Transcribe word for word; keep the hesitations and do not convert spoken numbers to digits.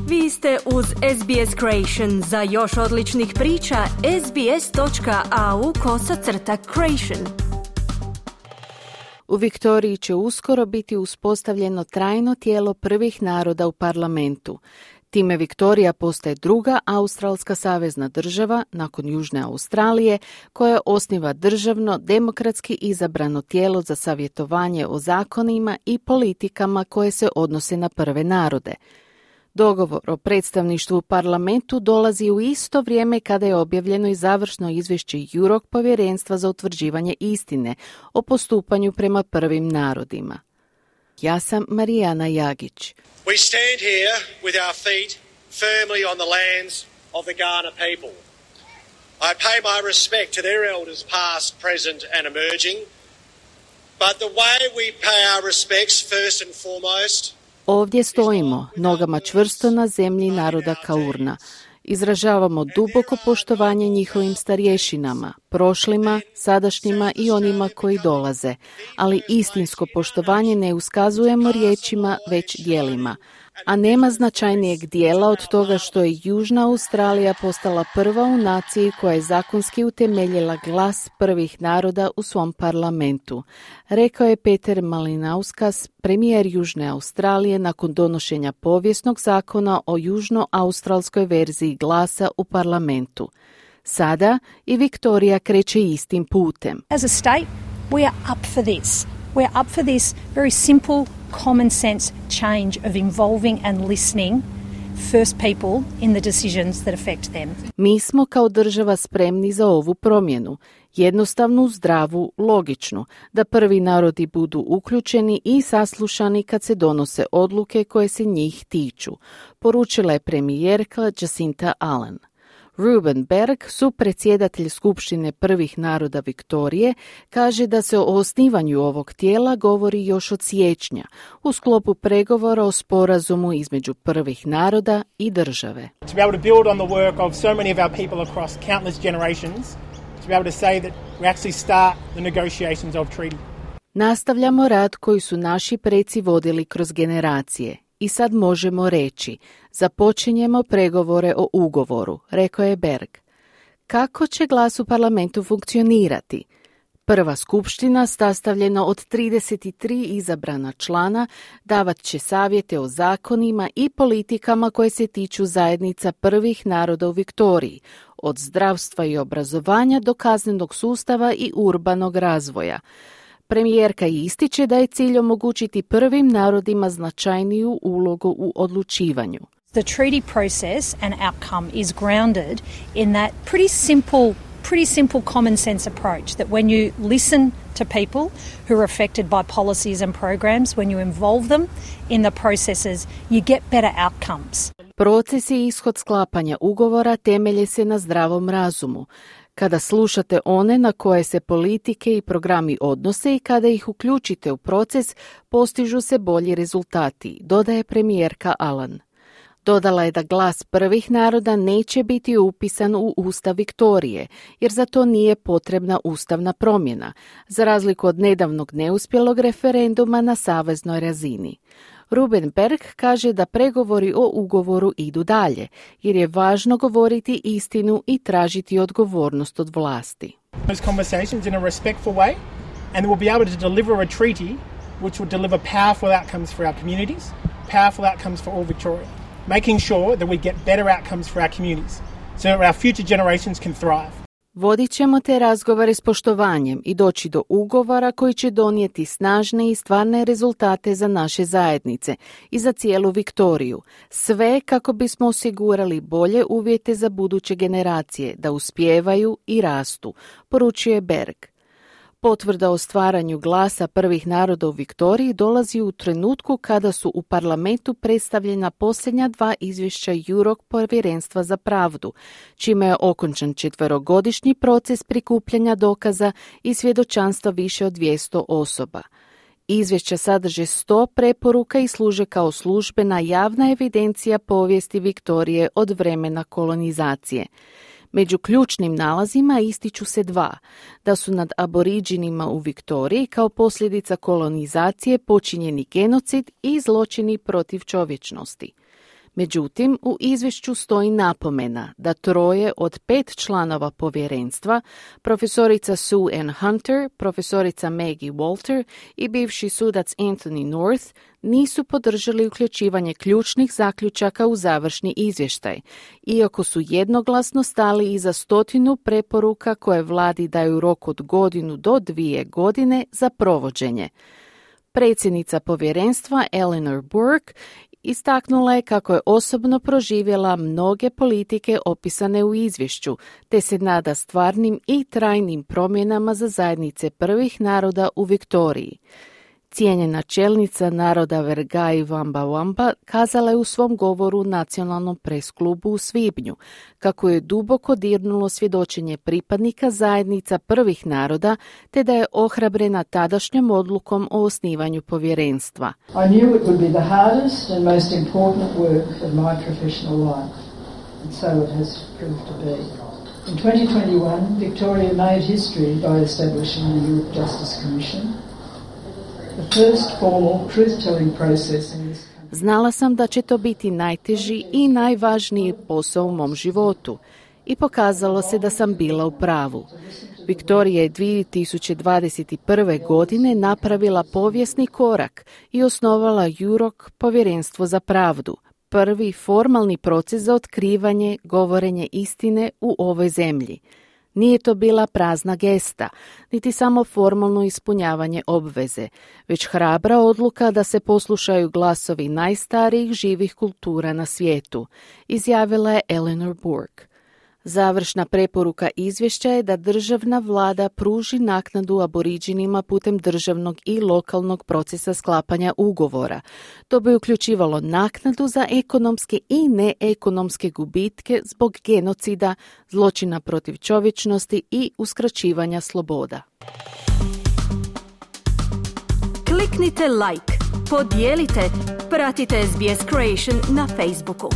Vi ste uz S B S Creation. Za još odličnih priča, sbs.au kosacrta creation. U Viktoriji će uskoro biti uspostavljeno trajno tijelo prvih naroda u parlamentu. Time Viktorija postaje druga australska savezna država nakon Južne Australije koja osniva državno, demokratski izabrano tijelo za savjetovanje o zakonima i politikama koje se odnose na prve narode. Dogovor o predstavništvu u parlamentu dolazi u isto vrijeme kada je objavljeno i završno izvješće Jurok povjerenstva za utvrđivanje istine o postupanju prema prvim narodima. Ja sam Marijana Jagić. We stand here with our feet firmly on the lands of the Kaurna people. I pay my respect to their elders past, present and emerging. But the way we pay our respects first and foremost. Ovdje stojimo, nogama čvrsto na zemlji naroda Kaurna. Izražavamo duboko poštovanje njihovim starješinama, prošlima, sadašnjima i onima koji dolaze, ali istinsko poštovanje ne uskazujemo riječima, već djelima. A nema značajnijeg dijela od toga što je Južna Australija postala prva u naciji koja je zakonski utemeljila glas prvih naroda u svom parlamentu, rekao je Peter Malinauskas, premijer Južne Australije nakon donošenja povijesnog zakona o južnoaustralskoj verziji glasa u parlamentu. Sada i Viktorija kreće istim putem. As a state, we are up for this. We are up for this very simple, common sense change of involving and listening first people in the decisions that affect them. Mi smo kao država spremni za ovu promjenu, jednostavnu, zdravu, logičnu, da prvi narodi budu uključeni i saslušani kad se donose odluke koje se njih tiču, poručila je premijerka Jacinta Allen. Ruben Berg, supredsjedatelj Skupštine prvih naroda Viktorije, kaže da se o osnivanju ovog tijela govori još od siječnja u sklopu pregovora o sporazumu između prvih naroda i države. To be able to build on the work of so many of our people across countless generations, to be able to say that we actually start the negotiations of treaty. Nastavljamo rad koji su naši preci vodili kroz generacije. I sad možemo reći, započinjemo pregovore o ugovoru, rekao je Berg. Kako će glas u parlamentu funkcionirati? Prva skupština, sastavljena od trideset tri izabrana člana, davat će savjete o zakonima i politikama koje se tiču zajednica prvih naroda u Viktoriji, od zdravstva i obrazovanja do kaznenog sustava i urbanog razvoja. Premijerka ističe da je cilj omogućiti prvim narodima značajniju ulogu u odlučivanju. The treaty process and outcome is grounded in that pretty simple, pretty simple common sense approach that when you listen to people who are affected by policies and programs, when you involve them in the processes, you get better outcomes. Proces i ishod sklapanja ugovora temelje se na zdravom razumu. Kada slušate one na koje se politike i programi odnose i kada ih uključite u proces, postižu se bolji rezultati, dodaje premijerka Allen. Dodala je da glas prvih naroda neće biti upisan u Ustav Viktorije, jer za to nije potrebna ustavna promjena, za razliku od nedavnog neuspjelog referenduma na saveznoj razini. Ruben Berg kaže da pregovori o ugovoru idu dalje, jer je važno govoriti istinu i tražiti odgovornost od vlasti. Those conversations in a respectful way, and we'll be able to deliver a treaty which will deliver powerful outcomes for our communities, powerful outcomes for all Victoria, making sure that we get better outcomes for our communities, so that our future generations can thrive. Vodit ćemo te razgovore s poštovanjem i doći do ugovora koji će donijeti snažne i stvarne rezultate za naše zajednice i za cijelu Viktoriju. Sve kako bismo osigurali bolje uvjete za buduće generacije da uspijevaju i rastu, poručuje Berg. Potvrda o stvaranju glasa prvih naroda u Viktoriji dolazi u trenutku kada su u parlamentu predstavljena posljednja dva izvješća Jurok povjerenstva za pravdu, čime je okončan četverogodišnji proces prikupljanja dokaza i svjedočanstva više od dvjesto osoba. Izvješća sadrže sto preporuka i služe kao službena javna evidencija povijesti Viktorije od vremena kolonizacije. Među ključnim nalazima ističu se dva, da su nad aboriđinima u Viktoriji kao posljedica kolonizacije počinjeni genocid i zločini protiv čovječnosti. Međutim, u izvješću stoji napomena da troje od pet članova povjerenstva, profesorica Sue Ann Hunter, profesorica Maggie Walter i bivši sudac Anthony North, nisu podržali uključivanje ključnih zaključaka u završni izvještaj, iako su jednoglasno stali iza stotinu preporuka koje vladi daju rok od godinu do dvije godine za provođenje. Predsjednica povjerenstva Eleanor Burke istaknula je kako je osobno proživjela mnoge politike opisane u izvješću, te se nada stvarnim i trajnim promjenama za zajednice prvih naroda u Viktoriji. Cijenjena čelnica naroda Vergai Wamba Wamba kazala je u svom govoru nacionalnom presklubu u svibnju kako je duboko dirnulo svjedočenje pripadnika zajednica prvih naroda, te da je ohrabrena tadašnjom odlukom o osnivanju povjerenstva. I knew it would be the hardest and most important work of my professional life, and so it has proved to be. In twenty twenty-one, Victoria made history by establishing the Youth Justice Commission. The first formal truth-telling process in this country. Znala sam da će to biti najteži i najvažniji posao u mom životu i pokazalo se da sam bila u pravu. Viktorija je dvije tisuće dvadeset prve. godine napravila povijesni korak i osnovala Jurok, povjerenstvo za pravdu, prvi formalni proces za otkrivanje, govorenje istine u ovoj zemlji. Nije to bila prazna gesta, niti samo formalno ispunjavanje obveze, već hrabra odluka da se poslušaju glasovi najstarijih živih kultura na svijetu, izjavila je Eleanor Burke. Završna preporuka izvješća je da državna vlada pruži naknadu aboriđinima putem državnog i lokalnog procesa sklapanja ugovora. To bi uključivalo naknadu za ekonomske i neekonomske gubitke zbog genocida, zločina protiv čovječnosti i uskraćivanja sloboda. Kliknite like, podijelite, pratite S B S Creation na Facebooku.